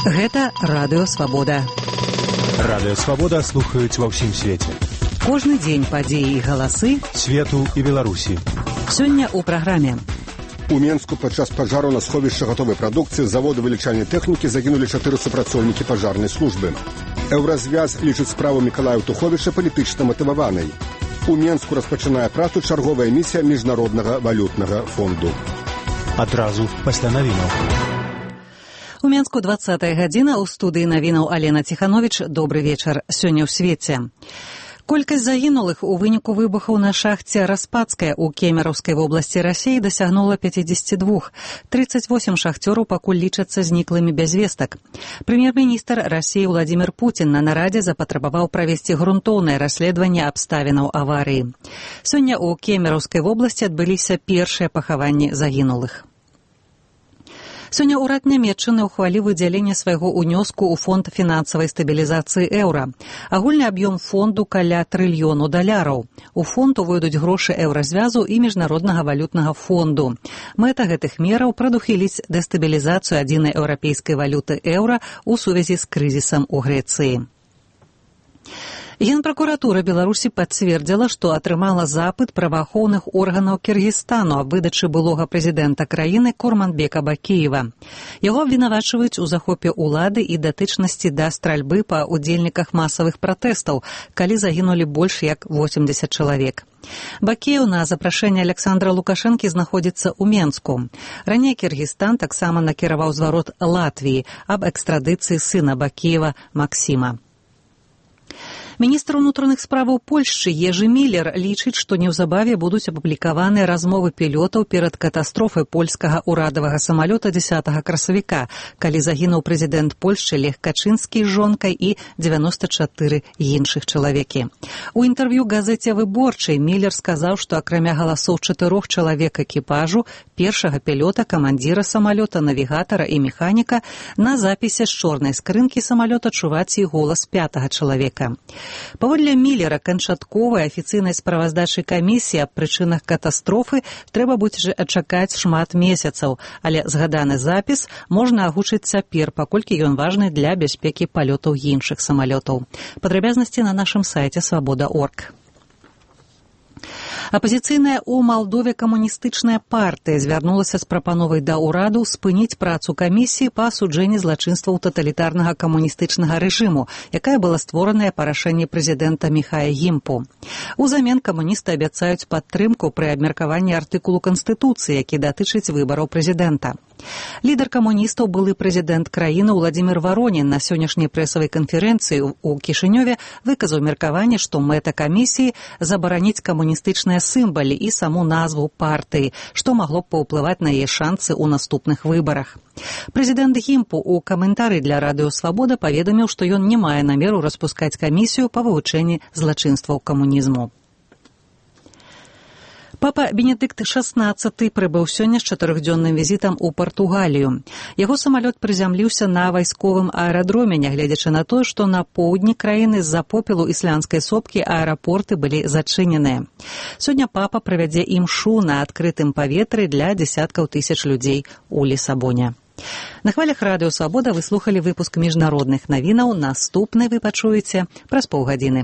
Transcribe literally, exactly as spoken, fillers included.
Гэта Радыё Свабода. Радыё Свабода слухаюць ва ўсім свеце. Кожны дзень падзеі і галасы свету і Беларусі. Сёння ў праграме. У Менску падчас пажару на сховішча гатовай прадукцыі заводу вылічальнай тэхнікі загінулі чатыры супрацоўнікі пажарнай службы. Еўразвяз лічыць справу Мікалая Туховіча палітычна матываванай. У Менску распачынае працу чарговая місія міжнароднага валютнага фонду. Адразу пасля навінаў. У Менску дваццатая гадзіна, у студыі навінаў Алена Ціхановіч. Добры вечар. Сёння ў свеце. Колькасць загінулых у выніку выбухаў на шахце Распадская ў Кемераўскай вобласці Расіі дасягнула пяцьдзесят два. тридцать восемь шахцёраў пакуль лічацца зніклымі без вестак. Прэм'ер-міністр Расіі Владзімір Пуцін на нарадзе запатрабаваў правесці грунтоўнае расследаванне абставінаў аварыі. Сёння ў Кемераўскай вобласці адбыліся першыя пахаванні загінулых. Сёння ўрад Нямецчыны ўхваліў выдзяленне свайго ўнёску ў фонд фінансавай стабілізацыі еўра. Агульны аб'ём фонду каля трыльёну даляраў. У фонд увойдуць грошы еўразвязу і міжнароднага валютнага фонду. Мэта гэтых мераў прадухіліць дэстабілізацыю адзінай еўрапейскай валюты еўра ў сувязі з крызісам у Грэцыі. Генпракуратура Беларусі пацвердзіла, што атрымала запыт праваахоўных органаў Кіргізстану аб выдачы былога прэзідэнта краіны Курманбека Бакіева. Яго абвінавачваюць у захопе ўлады і датычнасці да стральбы па удзельніках масавых пратэстаў, калі загінулі больш як восемьдесят чалавек. Бакіеў на запрашэнне Александра Лукашэнкі знаходзіцца ў Менску. Раней Кіргізстан таксама накіраваў зварот Латвіі аб экстрадыцыі сына Бакіева Максіма. Міністр унутраных справаў Польшчы Ежы Міллер лічыць, што неўзабаве будуць апублікаваныя размовы пілётаў перад катастрофай польскага ўрадавага самалёта дзесятага красавіка, калі загінуў прэзідэнт Польшчы Лех Качынскі з жонкай і дзевяносто чатыры іншых чалавекі. У інтэрв'ю газеце «Выборчай» Міллер сказаў, што акрамя галасоў чатырох чалавек экіпажу, першага пілёта, камандзіра самалёта, навігатара і механіка, на запісе з чорнай скрынкі самалёта чуваць і голас пятага чалавека. Паводле Міллера, канчатковай афіцыйнай справаздачы камісіі аб прычынах катастрофы трэба будзе чакаць шмат месяцаў, але згаданы запіс можна агучыць цяпер, паколькі ён важны для бяспекі палётаў іншых самалётаў. Падрабязнасці на нашым сайце свабода точка орг. Апазіцыйная ў Малдове камуністычная партыя звярнулася з прапановай да ўраду спыніць працу камісіі па асуджэнні злачынстваў таталітарнага камуністычнага рэжыму, якая была створаная па рашэнні прэзідэнта Міхая Гімпу. Узамен камуністы абяцаюць падтрымку пры абмеркаванні артыкулу Канстытуцыі, які датычыць выбараў прэзідэнта. Лідар камуністаў, былы прэзідэнт краіны Владзімір Варонін на сённяшняй прэсавай канферэнцыі ў Кішынёве выказаў меркаванне, што мэта камісіі забараніць камуністычныя сімвалы і саму назву партыі, што магло б паўплываць на яе шансы ў наступных выбарах. Прэзідэнт Гімпу ў каментары для Радыё Свабода паведаміў, што ён не мае намеру распускаць камісію па вывучэнні злачынстваў камунізму. Папа Бенедыкт шаснаццаты прыбыў сёння з чатырохдзённым візітам у Партугалію. Яго самалёт прызямліўся на вайсковым аэрадроме, нягледзячы на тое, што на поўдні краіны з-за попелу ісландскай сопкі аэрапорты былі зачыненыя. Сёння папа правядзе імшу на адкрытым паветры для дзесяткаў тысяч людзей у Лісабоне. На хвалях Радыё Свабода вы слухалі выпуск міжнародных навінаў. Наступны вы пачуеце праз паўгадзіны.